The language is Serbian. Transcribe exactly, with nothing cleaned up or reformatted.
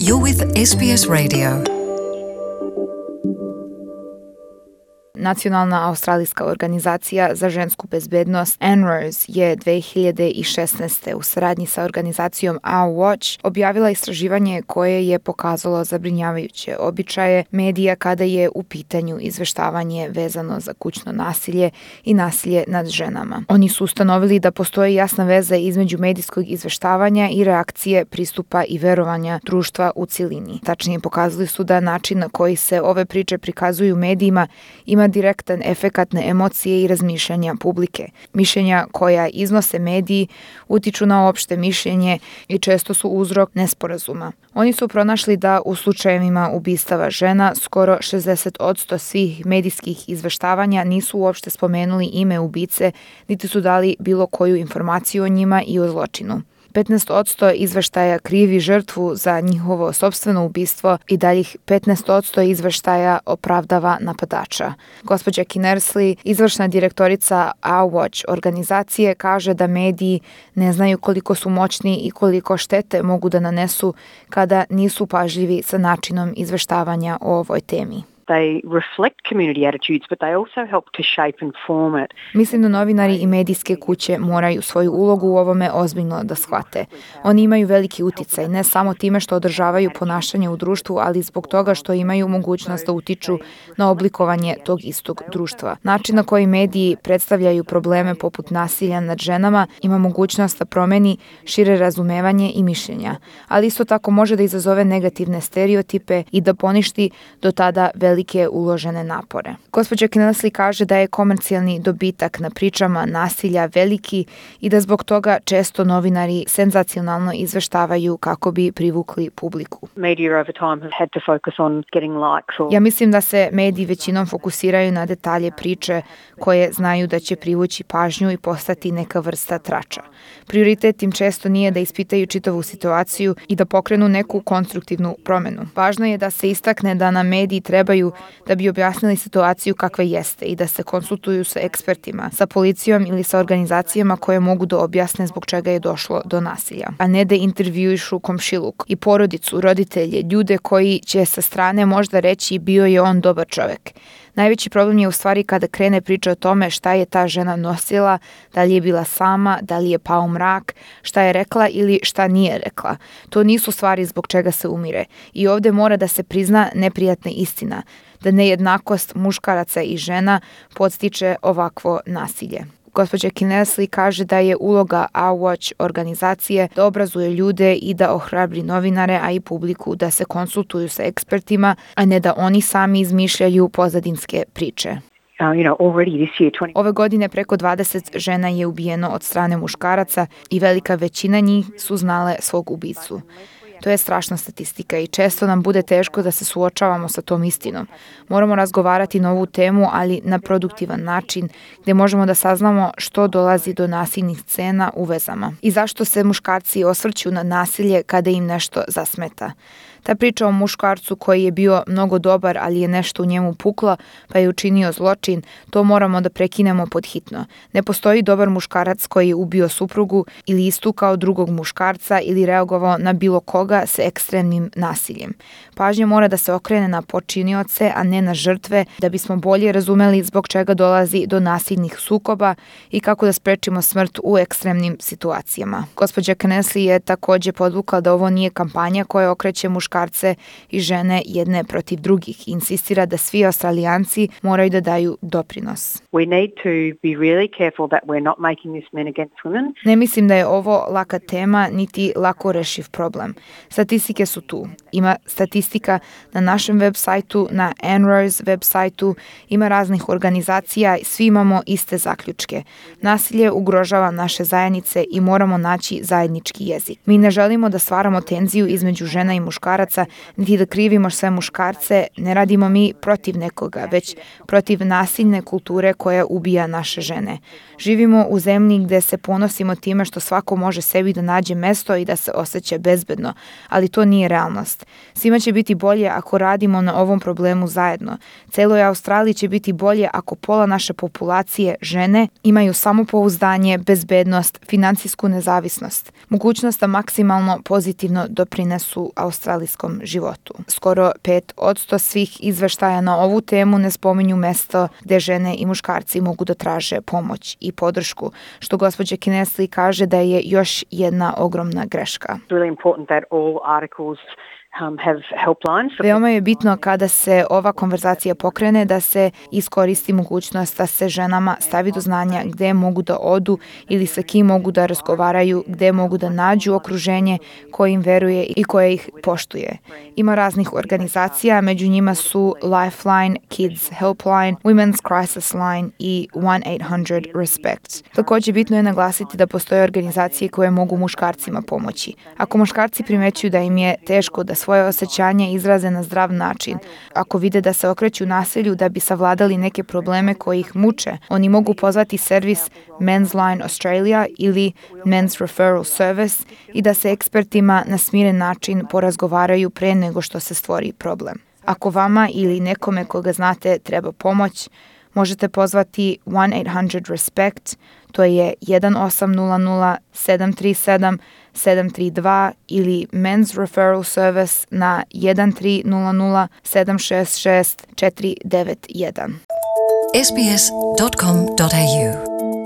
You're with S B S Radio. Nacionalna australijska organizacija za žensku bezbednost N R O S je dve hiljade šesnaeste. u saradnji sa organizacijom Our Watch objavila istraživanje koje je pokazalo zabrinjavajuće običaje medija kada je u pitanju izveštavanje vezano za kućno nasilje i nasilje nad ženama. Oni su ustanovili da postoji jasna veza između medijskog izveštavanja i reakcije, pristupa i verovanja društva u cilini. Tačnije, pokazali su da način na koji se ove priče prikazuju medijima ima direktan efekat na emocije i razmišljanja publike. Mišljenja koja iznose mediji utiču na opšte mišljenje i često su uzrok nesporazuma. Oni su pronašli da u slučajevima ubistava žena skoro šezdeset posto svih medijskih izveštavanja nisu uopšte spomenuli ime ubice, niti su dali bilo koju informaciju o njima i o zločinu. petnaest posto izveštaja krivi žrtvu za njihovo sopstveno ubistvo i daljih petnaest posto izveštaja opravdava napadača. Gospođa Kinnersley, izvršna direktorica Our Watch organizacije, kaže da mediji ne znaju koliko su moćni i koliko štete mogu da nanesu kada nisu pažljivi sa načinom izveštavanja o ovoj temi. They reflect community attitudes, but they also help to shape and form it. Mislim da novinari i medijske kuće moraju svoju ulogu u ovome ozbiljno da shvate. Oni imaju veliki uticaj, ne samo time što održavaju ponašanje u društvu, ali zbog toga što imaju mogućnost da utiču na oblikovanje tog istog društva. Način na koji mediji predstavljaju probleme poput nasilja nad ženama ima mogućnost da promeni šire razumevanje i mišljenja, ali isto tako može da izazove negativne stereotipe i da poništi do tada velike uložene napore. Gospođa Kinnersley kaže da je komercijalni dobitak na pričama nasilja veliki i da zbog toga često novinari senzacionalno izveštavaju kako bi privukli publiku. Ja mislim da se mediji većinom fokusiraju na detalje priče koje znaju da će privući pažnju i postati neka vrsta trača. Prioritet im često nije da ispitaju čitavu situaciju i da pokrenu neku konstruktivnu promenu. Važno je da se istakne da nam mediji trebaju da bi objasnili situaciju kakva jeste i da se konsultuju sa ekspertima, sa policijom ili sa organizacijama koje mogu da objasne zbog čega je došlo do nasilja, a ne da intervjuišu komšiluk i porodicu, roditelje, ljude koji će sa strane možda reći bio je on dobar čovek. Najveći problem je u stvari kada krene priča o tome šta je ta žena nosila, da li je bila sama, da li je pao mrak, šta je rekla ili šta nije rekla. To nisu stvari zbog čega se umire. I ovde mora da se prizna neprijatna istina, da nejednakost muškaraca i žena podstiče ovakvo nasilje. Gospođa Kinnersley kaže da je uloga Our Watch organizacije da obrazuje ljude i da ohrabri novinare, a i publiku da se konsultuju sa ekspertima, a ne da oni sami izmišljaju pozadinske priče. Ove godine preko dvadeset žena je ubijeno od strane muškaraca i velika većina njih su znale svog ubicu. To je strašna statistika i često nam bude teško da se suočavamo sa tom istinom. Moramo razgovarati na ovu temu, ali na produktivan način, gde možemo da saznamo što dolazi do nasilnih scena u vezama i zašto se muškarci osvrću na nasilje kada im nešto zasmeta. Ta priča o muškarcu koji je bio mnogo dobar, ali je nešto u njemu puklo, pa je učinio zločin, to moramo da prekinemo podhitno. Ne postoji dobar muškarac koji je ubio suprugu ili istukao drugog muškarca ili reagovao na bilo koga sa ekstremnim nasiljem. Pažnja mora da se okrene na počinioce, a ne na žrtve, da bismo bolje razumeli zbog čega dolazi do nasilnih sukoba i kako da sprečimo smrt u ekstremnim situacijama. Gospođa Kinnersley je takođe podvukla da ovo nije kampanja koja okreće muškarce muškarce i žene jedne protiv drugih. Insistira da svi Australijanci moraju da daju doprinos. We need to be really careful that we're not making this men against women. Ne mislim da je ovo laka tema niti lako rešiv problem. Statistike su tu. Ima statistika na našem web sajtu, na N R O S web sajtu, ima raznih organizacija, svi imamo iste zaključke. Nasilje ugrožava naše zajednice i moramo naći zajednički jezik. Mi ne želimo da stvaramo tenziju između žena i muškaraca, niti da krivimo sve muškarce, ne radimo mi protiv nekoga, već protiv nasilne kulture koja ubija naše žene. Živimo u zemlji gde se ponosimo time što svako može sebi da nađe mesto i da se osjeća bezbedno, ali to nije realnost. Svima će biti bolje ako radimo na ovom problemu zajedno. Celoj Australiji će biti bolje ako pola naše populacije, žene, imaju samopouzdanje, bezbednost, financijsku nezavisnost, mogućnost da maksimalno pozitivno doprinesu australijskom životu. Skoro pet odsto svih izveštaja na ovu temu ne spominju mesto gde žene i muškarci mogu da traže pomoć i podršku, što gospođa Kinnesley kaže da je još jedna ogromna greška. Really important that all articles Um, have helplines. Veoma je bitno kada se ova konverzacija pokrene da se iskoristi mogućnost da se ženama stavi do znanja gde mogu da odu ili sa kim mogu da razgovaraju, gde mogu da nađu okruženje koje im veruje i koje ih poštuje. Ima raznih organizacija, među njima su Lifeline, Kids Helpline, Women's Crisis Line i one eight hundred respect. Takođe bitno je naglasiti da postoje organizacije koje mogu muškarcima pomoći. Ako muškarci primećuju da im je teško da svoje osjećanje izraze na zdrav način, ako vide da se okreću nasilju da bi savladali neke probleme koji ih muče, oni mogu pozvati servis Men's Line Australia ili Men's Referral Service i da se ekspertima na smiren način porazgovaraju pre nego što se stvori problem. Ako vama ili nekome koga znate treba pomoć, možete pozvati one eight hundred respect, to je one osam nula nula sedam tri sedam sedam tri dva ili Men's Referral Service na one tri nula nula sedam šest šest četiri devet jedan. s b s dot com dot a u